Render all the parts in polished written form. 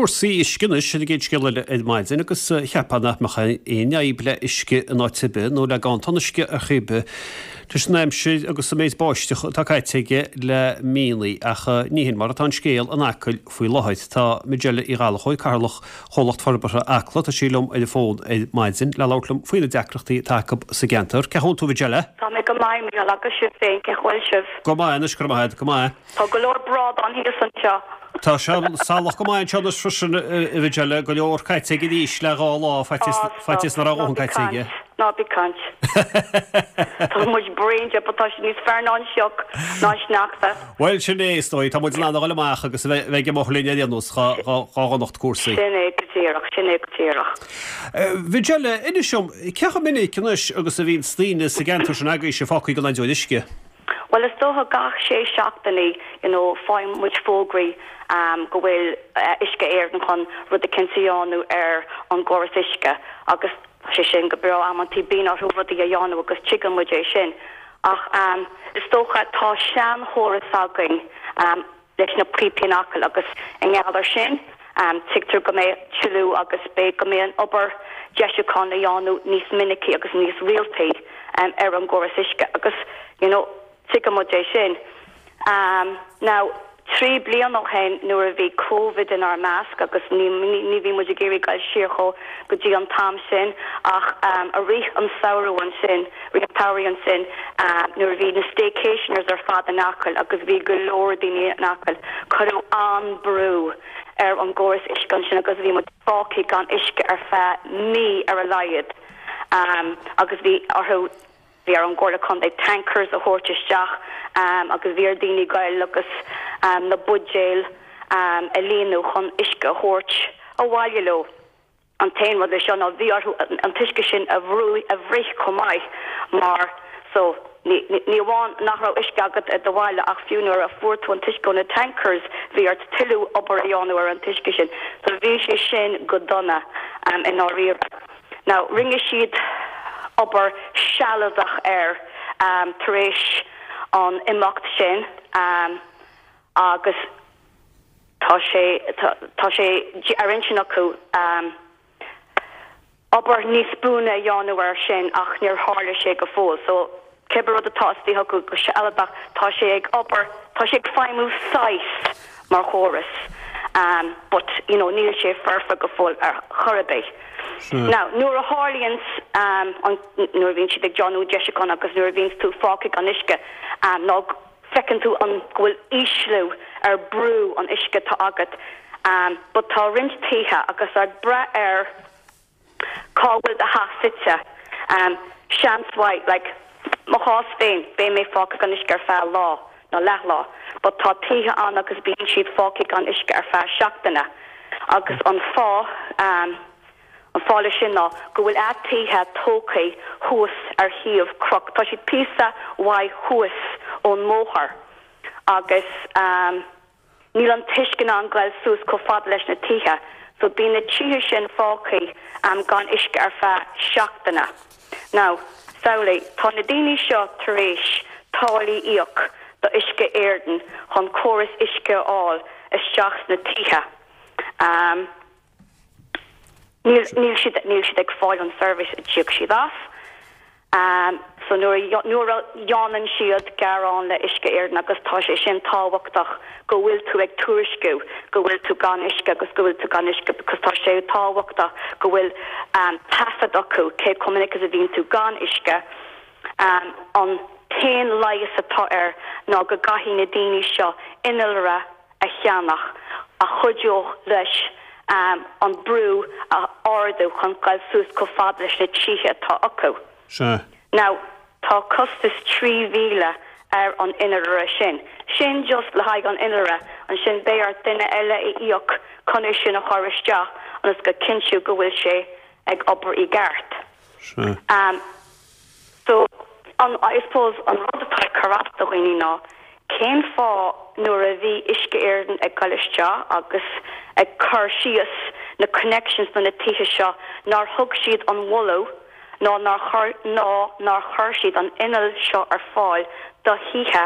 Cúrsaí uisce anois ar an gcéad scéal eile ar maidin agus cheapfá nach mbeadh aon fhadhb le uisce in áit ar bith nó le ganntan uisce ar chaoi ar bith leis an aimsir agus an méid báisteach atá caite aige le míonna ach ní hin mar atá an scéal in Acaill faoi láthair. Tá Majella Uí Ghallchóir, Cathaoirleach Chomhlacht Forbartha Acla, tá sí liom ar an bhfón ar maidin le labhairt liom faoi na deacrachtaí atá acu sa gceantar. Cén chaoi a bhfuil tú a Mhajella? Tá mé go maith, Mícheál, agus sibh féin, cén chaoi a bhfuil sibh? Go maith anois, go raibh maith agat, go maith. Tá go leor brádán thíos anseo. Tá sé salach go maith anseo anois freisin, a Mhajella, go leor caite aige arís le dhá lá, faitíos nach raibh a dhóthain caite aige. Ná bí ag caint. Tá muid bréan de, but tá sé níos fearr ná an sioc, ná an sneachta. Bhuel, sin é, is dóigh. Tá muid in ann a dhul amach agus a bheith ag amuigh linn ar aon nós, dhá dhonacht cúrsaí. Sin é go díreach, sin é go díreach. Mhajella, inis dom, cé chomh minic anois agus a bhíonns daoine sa gceantar sin agaibhse fágtha gan aon deoir uisce? Bhuel, is dócha gach sé seachtainí, you know, faigheann muid fógraí go bhfuil Uisce Éireann chun rud eicínt a dhéanamh ar an gcóras uisce agus tá sé sin go breá, amantaí bíonn orthu rudaí a dhéanamh agus tuigeann muid é sin. Ach is dócha tá seanchóras againn leis na píopaí in Acaill agus i ngeall ar sin tuigtear go mbeidh tuilleadh agus beidh go mbeidh an obair deisiúcháin le dhéanamh níos minicí agus níos rialtaí ar an gcóras uisce agus you know tuigeann muid é sin. Now, 3 bliana ó shin nuair a bhí Covid inár measc agus ní ní bhí muid ag iarraidh goil siar chomh go dtí an t-am sin ach i rith an samhradh ansin, rith an tsamhraidh ansin nuair a bhí na staycationers ar fad in Acaill agus bhí go leor daoine in Acaill, cuireadh an-brú ar an gcóras uisce ansin agus bhí muid fágtha gan uisce ar feadh mí ar a laghad agus bhí orthu Bhí ar an gComhairle Contae tankers a thabhairt isteach agus bhí ar daoine goil agus na buidéil a líonadh chun uisce a thabhairt abhaile leo. An t-aon rud leis seo ná bhí orthu an t-uisce sin a bhrú, a bhruith chomh maith mar so ní ní amháin nach raibh uisce agat i do bhaile ach fiú nuair a fuair tú an t-uisce ó na tankers bhí ort tuilleadh obair a dhéanamh ar an t-uisce sin. So bhí sé sin go dona i ndáiríre. Now, rinne siad obair sealadach air tar éis an imeacht sin agus tá sé, tá sé ar intinn acu obair níos buaine a dhéanamh air sin ach níor tharla sé go fóill. So, Cibé rud atá istigh acu go sealadach, tá sé ag obair, tá sé ag feidhmiú saghas mar chóras but you know níl sé foirfe go fóill ar chor ar bith. Now nuair a tharlaíonns an, nuair a bhíonn siad ag déanamh deisiúchán agus nuair a bhíonns tú fágtha gan uisce nó feiceann tú an, go bhfuil ísliú ar brú an uisce atá agat but tá roinnt tithe agus ag brath ar Cá bhfuil do theach suite? Seans mhaith, like, mo chás féin, beidh mé fágtha gan uisce ar feadh lá, nó leathlá, but tá tithe ann agus bíonn siad fágtha gan uisce ar feadh seachtaine. Agus an fáth, an fáth leis sin ná go bhfuil a dtithe tógtha thuas ar thaobh cnoc, tá siad píosa mhaith thuas ón mbóthar agus, Níl an t-uisce in ann goil suas chomh fada leis na tithe, so bíonn na tithe sin fágtha gan uisce ar feadh seachtaine. Now, samhlaigh, tá na daoine seo tar éis táillí a íoc do Uisce Éireann chun córas uisce a fháil isteach sna tithe. Níl, níl siad, níl siad ag fáil an service a d'íoc siad as. So nuair a, nuair a dhéanann siad gearán le Uisce Éireann agus tá sé sin tábhachtach go bhfuil tú ag tuairisciú go bhfuil tú gan uisce agus go bhfuil tú gan uisce because tá sé tábhachtach go bhfuil taifead acu cé chomh minic is a bhíonn tú gan uisce. An t-aon leigheas atá air ná go gcaithfidh na daoine seo innealra a cheannach a chuideodh leis an brú a ardú chun goil suas chomh fada leis na tithe atá acu. Sea. Now, tá costas 3,000 ar an innealra sin. Sin just le haghaidh an innealra. Ansin beidh ort duine eile a íoc chun é sin a chur isteach ionas go cinntiú go bhfuil sé ag obair i gceart. Sea. So, an, I suppose, an rud atá ag cur as do dhaoine ná cén fáth nuair a bhí Uisce Éireann ag goil isteach agus ag cur síos na connections do na tithe seo nár thug siad an moladh ná nár chuir ná nár chuir siad an inneall seo ar fáil do thithe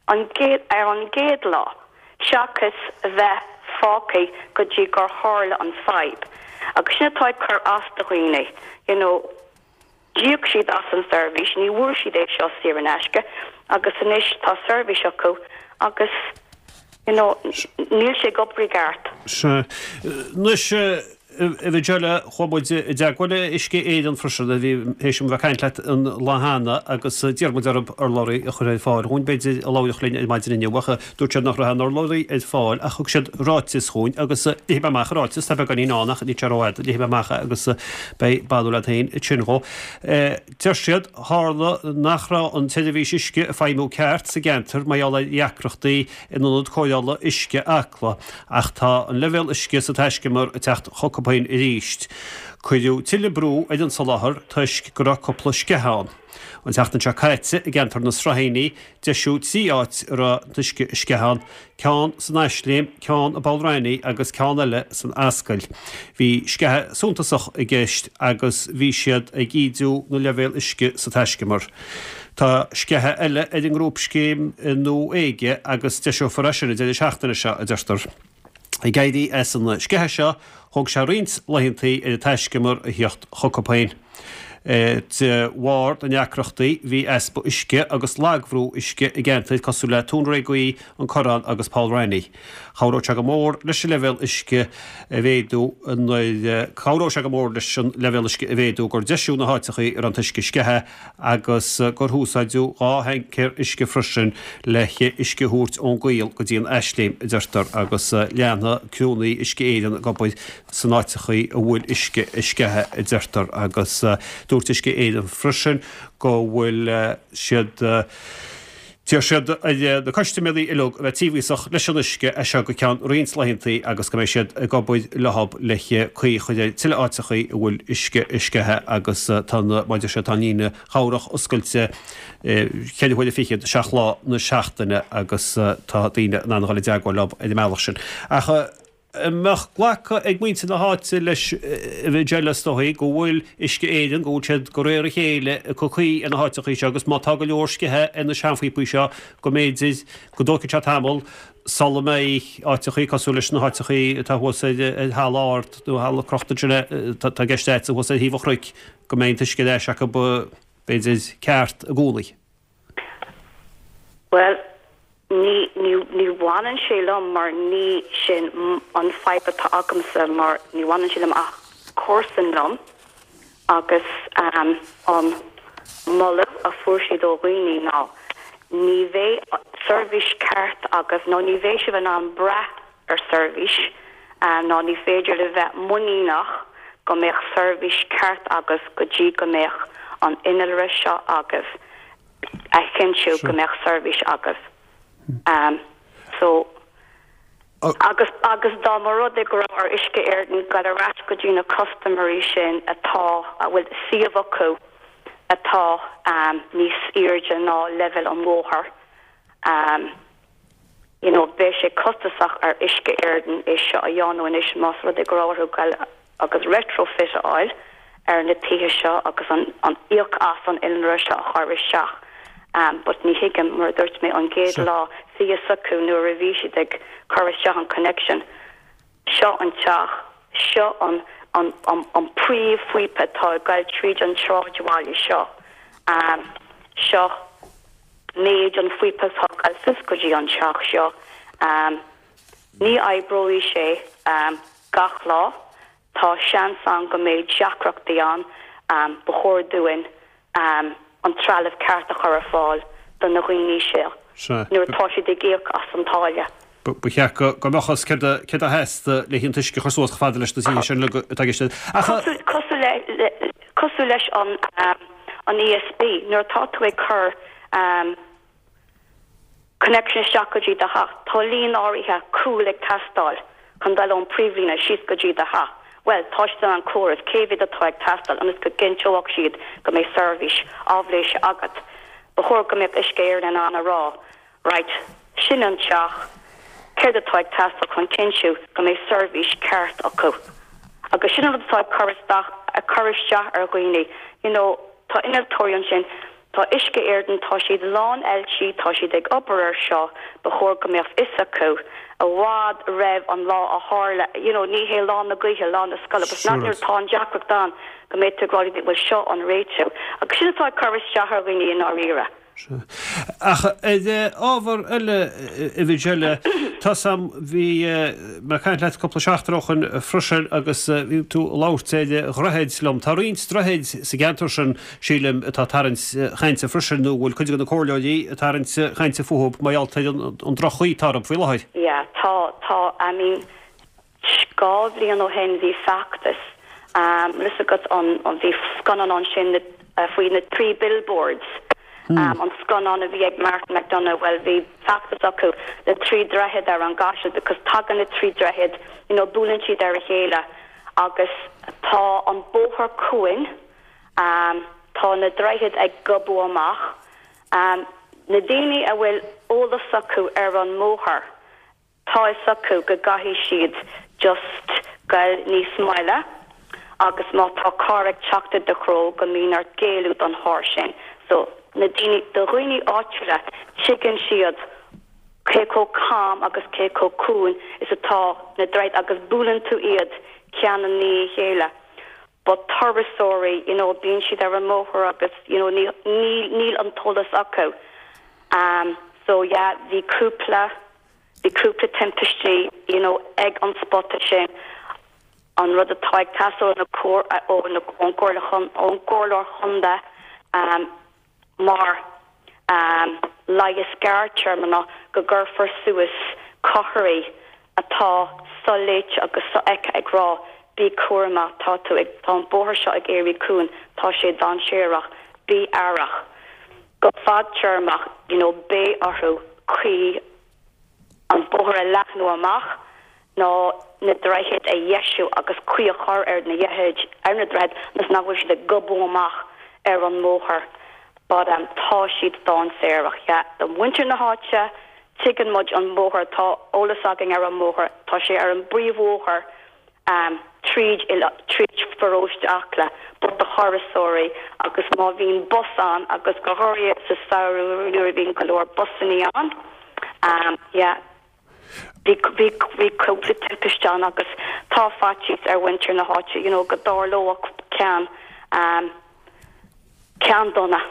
an gcéad ar an gcéad lá seachas bheith. fágtha go dtí gur tharla an fadhb. Agus sin atá ag cur as do dhaoine, you know, d'íoc siad as an seirbhís, ní bhfuair siad é seo saor in aisce agus anois tá seirbhís acu agus, you know, níl sé ag obair i gceart. Sea. Anois, a Mhajella, chuaigh muid i dteagmháil le Uisce Éireann freisin, a bhí théis dom bheith ag caint leat an lá cheana agus d'iarr muid orthu urlabhraí a chur ar fáil dhúinn, b'fhéidir, a labharfadh linn ar maidin inniu ach dúirt siad nach raibh aon urlabhraí ar fáil ach thug siad ráiteas chugainn agus léifidh mé amach an ráiteas, tá beagáinín ann ach níl sé rófhada, léifidh mé amach é agus beidh barúil agat féin ansin dhó. Deir siad, tharla nach raibh an tseirbhís uisce ag feidhmiú ceart sa gceantar mar gheall ar dheacrachtaí in ionad cóireála uisce Acla ach tá an leibhéal uisce sa taiscumar ag teacht chucu féin arís. Cuireadh tuilleadh brú ar an soláthar toisc go raibh cúpla sceitheadh ann. An tseachtain seo caite i gceantar na Sraithíní deisíodh 3 áit a raibh an t-uisce ag sceitheadh ann, ceann san Eisléim, ceann i bPoll Raithní agus ceann eile san Ascaill. Bhí sceitheadh suntasach i gceist agus bhí siad ag ídiú na leibhéal uisce sa taiscumar. Tá sceitheadh eile ar an ngrúpscéim i nDumha Éige agus deiseofar é sin an deireadh seachtaine seo, a deirtear. Ag éirí as an sceitheadh seo, thóg sé roinnt laethantaí ar an taiscumar a theacht chucu féin. De bharr na ndeacrachtaí, bhí easpa uisce agus lagbhrú uisce i gceantair cosúil le Tóin Ré Gaoith, An Corrán agus Poll Raithní. Chabhródh sé go mór leis an leibhéal uisce a mhéadú nuair Chabhródh sé go mór leis an leibhéal uisce a mhéadú gur deisíodh na háiteachaí a raibh an t-uisce sceithe agus gur húsáideadh 2 thancaer uisce freisin le huisce a thabhairt ón gCaol go dtí an Eisléim, a deirtear, agus leanfaidh criúnna Uisce Éireann ag obair san áiteachaí a bhfuil uisce ag sceitheadh, a deirtear, agus dúirt Uisce Éireann freisin go bhfuil siad. D'iarr siad ar na custaiméirí uilig a bheith tíobhasach leis an uisce as seo go ceann roinnt laethantaí agus go mbeidh siad ag obair leo le caoi a chur ar tuilleadh áiteachaí a bhfuil uisce ag sceitheadh agus tá na, mar a deir siad, tá an líne chabhrach oscailte cheithre huaire fichead, 7 lá na seachtaine agus tá daoine in ann a dhul i dteagmháil leo ar an mbealach sin. Ach. An mbeadh glactha ag muintir na háite leis a Mhajella is dóigh go bhfuil Uisce Éireann, go bhfuil siad de réir a chéile ag cur caoi ar na háiteachaí seo agus má tá go leor sceithe ar na seanphíopaí seo go mb'fhéidir go dtógfaidh sé tamall sula mbeidh áiteachaí cosúil leis na háiteachaí atá thuas ar Thalamh Ard nó Thalamh Crochta ansin atá i gceist agat thuas ar thaobh an chnoic go mbeidh an t-uisce ar ais acu b'fhéidir ceart i gcónaí. Bhuel, ní, ní, ní bhaineann sé liom mar ní sin an fadhb atá agamsa mar ní bhaineann sé liom ach comharsan liom agus an moladh a fuair siad ó dhaoine ná ní bheidh seirbhís ceart agaibh nó ní bheidh sibh in ann brath ar seirbhís ná ní féidir libh bheith muiníneach go mbeadh seirbhís ceart agaibh go dtí go mbeadh an innealra seo agaibh a chinntiú go mbeadh seirbhís agaibh. So, agus, agus dá mba rud é go raibh ar Uisce Éireann dul ar ais go dtí na custaiméirí sin atá, a bhfuil suíomh acu atá níos airde ná leibhéal an bhóthair, you know beidh sé costasach ar Uisce Éireann é seo a dhéanamh anois más rud é go raibh orthu goil agus retrofit a fháil ar na tithe seo agus an an íoc as an innealra seo a chur isteach um but ní thuigim mar a dúirt mé an gcéad lá bhí fhios acu nuair a bhí siad ag cur isteach an connection seo an teach seo an an an an príomhphíopa atá ag goil tríd an tsráidbhaile seo um seo méid an phíopa atá ag goil suas go dtí an teach seo. Ní oibreoidh sé gach lá. Tá seans ann go mbeidh deacrachtaí ann. Ba chóir dúinn an trealamh ceart a chur ar fáil do na dhaoine seo nuair atá siad ag íoc as an táille. Ba cheart go mbeadh fhios céard a theastaigh le an t-uisce a chur suas chomh fada leis na tithe sin uilig atá i gceist. Ach. Cosúil leis an an ESB, nuair atá tú ag cur connection isteach go dtí do theach, tá líon áirithe cúil ag teastáil chun dul ón príomhlíne síos go dtí do theach. Bhuel, tá siad in ann comhaireamh cé mhéad atá ag teastáil ionas go gcinnteoidh siad go mbeidh seirbhís áibhléise agat. Ba chóir go mbeadh Uisce Éireann in ann a rá Right, sin an teach, céard atá ag teastáil chun cinntiú go mbeidh seirbhís ceart acu? Agus sin an rud atá ag cur isteach, ag cur isteach ar dhaoine, you know, tá innealtóirí ansin. Tá Uisce Éireann, tá siad lán oilte, tá siad ag obair ar seo, ba chóir go mbeadh fhios acu i bhfad roimh an lá a tharla, you know, ní hé lá na gaoithe, lá na scoile, but not nuair atá an deacracht ann go mbeidh tú ag rá bhuel seo an réiteach. Agus sin atá ag cur isteach ar dhaoine i ndáiríre. Sea. Ach ar ábhar eile, a Mhichelle, tá's a'm, bhí mé ag caint leat cúpla seachtain ó shoin freisin agus bhí tú ag labhairt ar dhroichid liom. Tá roinnt droichid sa gceantar sin, sílim, atá ag tarraingt chainte freisin, nó bhfuil cuid de na comhairleoirí ag tarraingt chainte fúthu mar gheall ar an droch-chaoi atá orthu faoi láthair. Yeah, tá, tá, I mean, 2 bhliain ó shin bhí feachtas, bhfuil fhios agat an, bhí scannán ansin faoi na Three Billboards, an scannán a bhí ag Martin McDonagh, bhuel bhí feachtas acu le trí droichead ar an gCaiseal because tagann na trí droichead, you know, buaileann siad ar a chéile agus tá an bóthar cúin, tá na droichid ag gobadh amach, na daoine a bhfuil eolas acu ar an mbóthar, Tá fhios acu go gcaithfidh siad just goil níos moille agus má tá carr ag teacht i do threo go mbíonn ort géilleadh don charr sin. So, na daoine, do dhaoine áitiúla, tuigeann siad cé chomh cam agus cé chomh cúin is atá na droichid agus buaileann tú iad ceann i ndiaidh a chéile. But turasóirí, you know, bíonn siad ar an mbóthar agus, you know, ní, níl, níl an t-eolas acu. Um, so yeah, bhí cúpla, bhí cúpla timpistí, you know, ag an spota sin. An rud atá ag teastáil ó na comhair, ó na, ón gComhairle Chon, ón gComhairleoir Chontae, um, mar, um, leigheas gearrtéarma ná go gcuirfear suas comharthaí atá soléite agus sofheicthe ag rá bí cúramach, tá tú ag, tá an bóthar seo ag éirí cúng, tá sé dainséarach, bí aireach. Go fadtéarmach, you know, beidh orthu caoi an bóthar a leathnú amach nó na droichid a dheisiú agus caoi a chur ar na droichid, ar na droichid ionas nach bhfuil siad ag gobadh amach ar an mbóthar but um tá siad dainséarach, yeah. Do mhuintir na háite, tuigeann muid an bóthar, tá eolas againn ar an mbóthar, tá sé ar an bpríomhbhóthar tríd tríd pharóiste Acla but do thurasóirí agus má bhíonn bus ann agus go háirithe sa samhradh nuair a bhíonn go leor busannaí ann yeah bhí bhí bhí cúpla timpiste ann agus tá faitíos ar mhuintir na háite you know go dtarlódh ceann Ceann dona.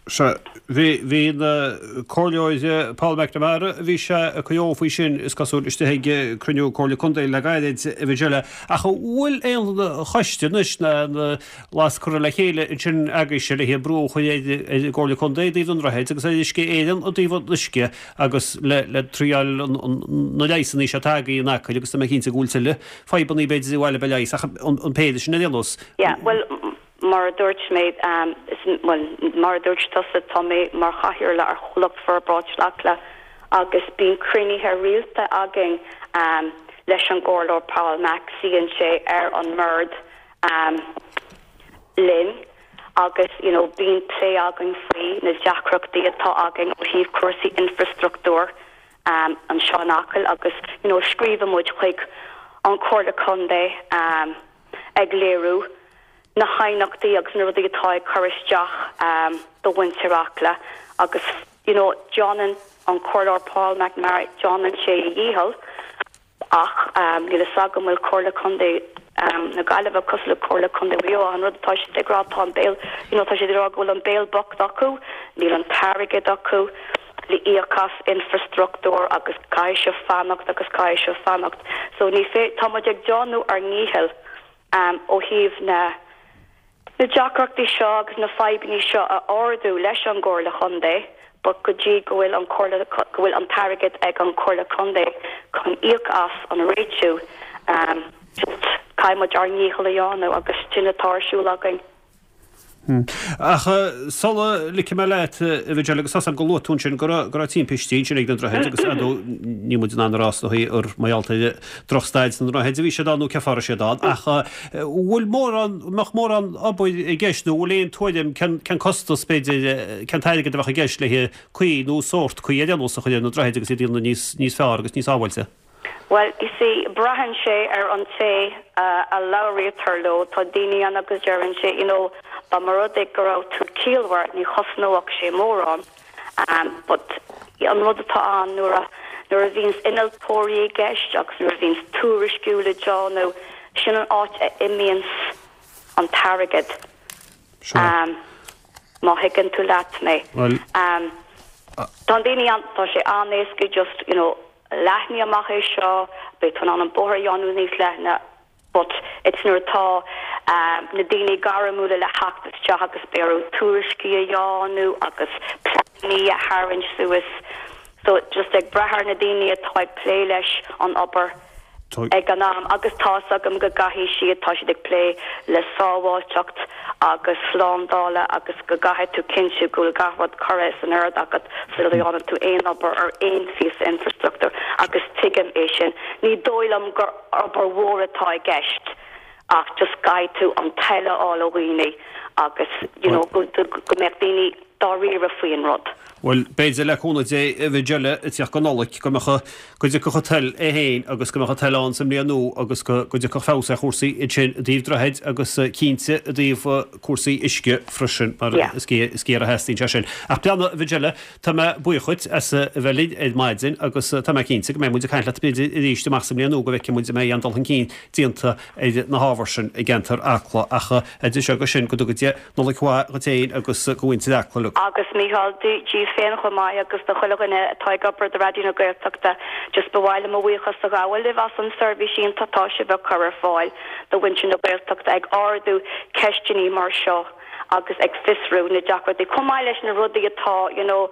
Sea, bhí, bhí an Comhairleoir Paul McNamara, bhí sé ag cur faoi sin, is cosúil, istigh ag cruinniú Comhairle Contae le gairid, a Mhichelle. Ach an bhfuil aon choiste anois, ná aon lasc curtha le chéile ansin agaibhse le haghaidh brú a chur ar an gComhairle Contae i dtaobh na ndroichead agus ar Uisce Éireann i dtaobh an uisce agus le, le triail na leigheasanna seo atá agaibh in Acaill agus tá mé cinnte go bhfuil tuilleadh fadhbanna b'fhéidir i bhfáil le leigheas ach an péire sin ar aon nós. Yeah, bhuel, Mar a dúirt mé, bhuel, mar a dúirt tusa, tá mé mar chathaoirleach ar Chomhlacht Forbartha Áitiúil Acla agus bíonn cruinnithe rialta againn leis an gComhairleoir Paul Mac, suíonn sé ar an mbord linn agus you know bíonn plé againn faoi na deacrachtaí atá againn ó thaobh cúrsaí infreastruchtúir anseo in Acaill agus you know scríobhann muid chuig an Chomhairle Contae ag léiriú na haighneachtaí agus na rudaí atá ag cur isteach do mhuintir Acla agus you know déanann an Comhairleoir Paul McNamara, déanann sé a dhícheall ach níl fhios agam bhfuil Comhairle Contae na Gaillimhe cosúil le Comhairle Contae Mhaigh Eo an rud atá siad ag rá tá an béal you know tá siad ag rá go bhfuil an béal bocht acu, níl an t-airgead acu le íoc as infreastruchtúr agus caithfidh sibh fanacht agus caithfidh sibh fanacht so ní fé tá muid ag déanamh ár ndícheall ó thaobh na na deacrachtaí seo agus na fadhbanna seo a ardú leis an gComhairle Chontae but go dtí go bhfuil an Comhairle go bhfuil an t-airgead ag an Chomhairle Contae chun íoc as an réitiú just caithfidh muid ár ndícheall a dhéanamh agus sin atá ar siúl againn. Ach sula ligfidh mé leat, a Mhichelle, agus tá's agam gur luaigh tú ansin go raibh, go raibh timpistí ansin ag na droichid agus ar ndóigh níl muid in ann a rá is dóigh gur mar gheall ar drochstaid na ndroichead a bhí siad ann nó cén fáth a raibh siad ann ach bhfuil mórán, mbeadh mórán obair i gceist nó bhfuil aon tuairim cén, cén costas b'fhéidir, cén t-airgead a bheadh i gceist le caoi nó sórt caoi ar aon nós a chur ar na droichid agus iad a dhéanamh níos, níos fearr agus níos sábháilte? Bhuel, you see, braitheann sé ar an té a labhraítear leo. Tá daoine ann agus deireann sé, you know, dá mba rud é go raibh tú. ciallmhar, ní chosnódh sé mórán. But an rud atá ann nuair a nuair a bhíonns innealtóirí i gceist agus nuair a bhíonns tuairisciú le déanamh, sin an áit a imíonns an t-airgead. Má thuigeann tú leat mé. Tá an daoine an, tá sé an-éasca just, you know, leathnaigh amach é seo, beidh tú in ann an bóthar a dhéanamh níos leithne, but it's nuair atá na daoine gairmiúla le theacht isteach agus beidh orthu tuairiscí a dhéanamh agus pleanannaí a tharraingt suas so just ag brath ar na daoine atá ag plé leis an obair ag an am agus tá's agam go gcaithfidh siad, tá siad ag plé le sábháilteacht agus slándála agus go gcaithfidh tú cinntiú go bhfuil gach rud curtha san ord agat sula dhéanann tú aon obair ar aon phíosa infrastruchtúir agus tuigim é sin. Ní dóigh liom gur obair mhór atá i gceist ach just caithfidh tú an toil a fháil ó dhaoine agus you know go mbeadh daoine dáiríre faoin rud. Bhuel, b'fhéidir le cúnamh Dé a Mhicelle ag tíocht go Nollaig go mbeadh, go dtiocfadh an toil é féin agus go mbeadh an toil ann sa mbliain nua agus go dtiocfadh feabhas ar chúrsaí ansin i dtaobh droichid agus cinnte i dtaobh cúrsaí uisce freisin mar is géar a theastaíonn sé sin. Ach beannacht a Mhicelle, tá mé buíoch dhuit as a bheith linn ar maidin agus tá mé cinnte go mbeidh muid ag caint leat b'fhéidir arís amach sa mbliain nua go bhfeicfidh muid an mbeidh aon dul chun cinn déanta ar na hábhair sin i gceantar Acla ach idir seo agus sin go dtuga Dia Nollaig mhaith dhuit féin agus do mhuintir Acla uilig. Agus Mícheál, díbh féin chomh maith agus do chuile dhuine atá ag obair do Raidió na Gaeltachta, just ba mhaith liom mo bhuíochas a ghabháil libh as an seirbhís iontach atá sibh a chur ar fáil do mhuintir na Gaeltachta ag ardú ceisteanna mar seo agus ag fiosrú na deacrachtaí chomh maith leis na rudaí atá you know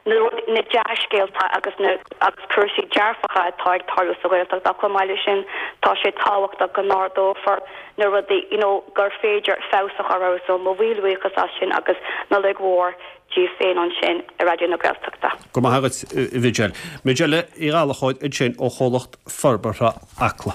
na rudaí, na dea-scéalta agus na agus cúrsaí dearfacha atá ag tarlú sa Ghaeltacht ach chomh maith leis sin tá sé tábhachtach go n-ardófar na rudaí you know gur féidir feabhas a chur orthu so mo mhíle buíochas as sin agus Nollaig mhór díbh féin ansin i Raidió na Gaeltachta. Go maith agat a Mhicelle. Micelle Uí Ghallchóir ansin ó Chomhlacht Forbartha Acla.